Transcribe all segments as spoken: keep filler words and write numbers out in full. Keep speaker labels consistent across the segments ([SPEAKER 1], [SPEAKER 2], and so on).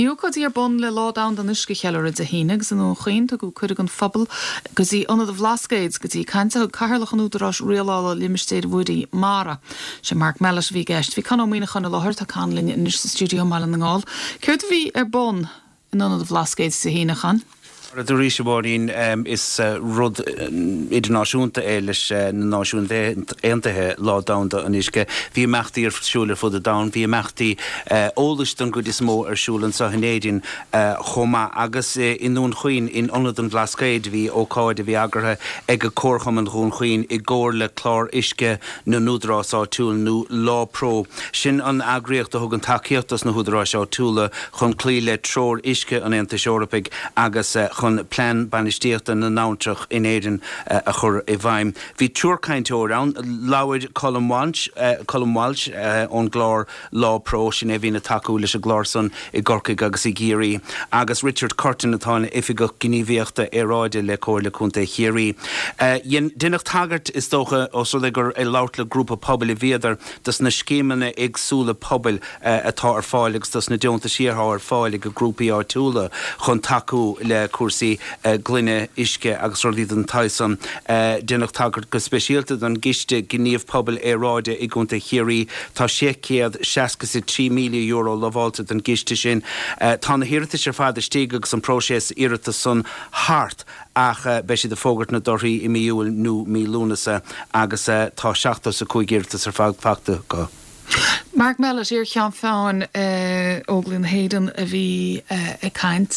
[SPEAKER 1] Bhí ócáidí ar bun le Lá Domhanda an Uisce a cheiliúradh Dé hAoine agus i nDún Chaoin tugadh cuireadh don phobal go dtí Ionad an Bhlascaoid go dtí caint a thug Cathaoirleach an Údaráis Rialála Limistéir Mhuirí MARA. Sé Mark Mellett a bhí i gceist. Bhí Con Ó Muíneacháin i láthair tá Con linn anois sa stiúideo i mBaile na nGall. Céard a bhí ar bun in Ionad an Bhlascaoid Dé hAoine a Chon?
[SPEAKER 2] Arís a Mháirín is rud idirnáisiúnta é leis na Náisiúin Aontaithe Lá Domhanda an Uisce. Bhí imeachtaí ar siúl ar fud an domhain, bhí imeachtaí eolais don gcuid is mó ar siúl anseo in Éirinn chomh maith agus i nDún Chaoin in Ionad an Bhlascaoid bhí ócáid a bhí eagraithe ag Comharchumann Dhún Chaoin i gcomhar le clár uisce na n-údarás áitiúil nó LawPro. Sin an eagraíocht a thugann tacaíocht dos na húdaráis áitiúla chun cloí le treoir uisce an Aontais Eorpaigh agus chun plean bainistíochta na n-abhantrach in Éirinn a chur i bhfeidhm. Bhí triúr cainteoir ann, labhair Colm Walsh, Colm Walsh ón gclár LawPro sin é a bhíonn ag tacú leis an gclár san i gCorcaigh agus i gCiarraí, agus Richard Curtin atá ina oifigeach gníomhaíochta aeráide le Comhairle Contae Chiarraí. Deineadh tagairt is dócha os rud é gur ag labhairt le grúpa pobail a bhíodar dos na scéimeanna éagsúla pobail atá ar fáil agus dos na deontaisí atá ar fáil ag grúpaí áitiúla chun tacú le cúrsaí glaine uisce agus rudaí den tsaghas san. Deineadh tagairt go speisialta don gCiste Gníomh Pobail Aeráide i gContae Chiarraí. Tá sé chéad seasca is a trí míle euro lamháilte don gciste sin. Tá na hiarratais ar fad istigh agus an próiseas iarratas san thart ach beidh siad ag fógairt na dtorthaí i mí Iúil nó mí Lúnasa agus tá seachtó is a cúig iarratas ar fad faighte acu.
[SPEAKER 1] Mark Mellett iar-Cheann Feadhain Óglaigh na hÉireann a bhí ag caint.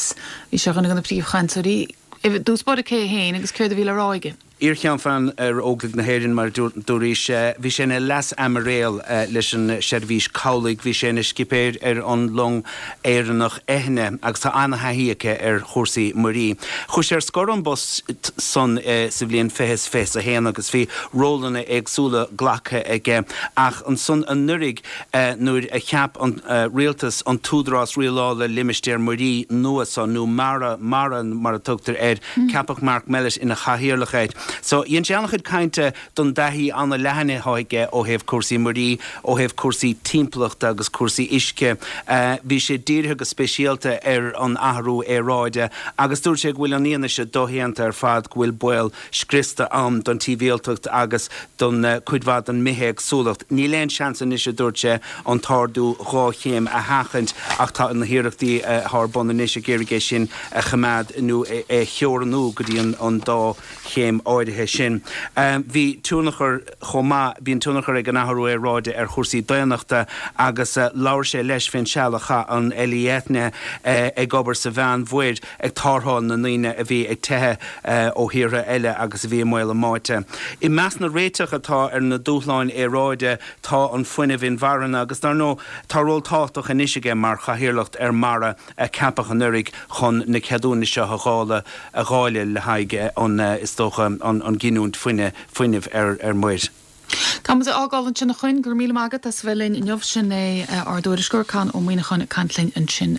[SPEAKER 1] Bhí sé ar dhuine de na príomhchainteoirí. I dtús báire cé é féin agus céard a bhí le rá aige?
[SPEAKER 2] Iar-Cheann Feadhain ar Óglaigh na hÉireann mar a dúraís, bhí sé ina leas-aimiréal leis an Seirbhís Cabhlaigh, bhí sé ina scipéir ar an long Éireannach Eithne agus tá an-thaithí aige ar chúrsaí muirí. Chuaigh sé ar scor ón bpost san sa bhliain fiche is fiche a haon agus bhí rólanna éagsúla glactha aige ach ansan anuraidh nuair a cheap an rialtas an tÚdarás Rialála Limistéar Muirí nua so, nó MARA, MARA mar a tugtar air, ceapadh Mark Mellett ina chathaoirleach air. So, dhein sé an-chuid cainte don dtaithí an-leathan atá aige ó thaobh cúrsaí muirí, ó thaobh cúrsaí timpeallachta agus cúrsaí uisce. Bhí sé dírithe go speisialta ar an athrú aeráide agus dúirt sé go bhfuil an fhianaise doshéanta ar fad go bhfuil baol scriosta ann don timpeallacht agus don cuid mhaith den mbithéagsúlacht. Níl aon seans anois, a dúirt sé, an t-ardú dhá chéim a sheachaint ach tá na hiarrachtaí atá ar bun anois ag iarraidh é sin a choimeád nó é a theorannú go dtí an dá chéim áirithe sin. Bhí tionchar chomh maith, bíonn tionchar ag an athrú aeráide ar chúrsaí daonnachta agus labhair sé leis fén seal a chaith an LE Eithne ag obair sa Mheánmhuir ag tarrtháil na ndaoine a bhí ag teitheadh ó thíortha eile agus a bhí i mbaol a mbáite. I measc na réiteach atá ar na dúshláin aeráide tá an fuinneamh inmharthana agus dar ndóigh tá ról tábhachtach anois aige mar chathaoirleacht ar MARA a ceapadh anuraidh chun na ceadúnais seo a dháileadh a dháileadh le haghaidh an is dócha an ghiniúint fuinnimh ar ar muir.
[SPEAKER 1] Tá muid á fhágáil ansin a Choinn, go raibh míle maith agat as a bheith linn inniu. Sin é ár dtuairisceoir Con Ó Muíneacháin ag caint linn ansin.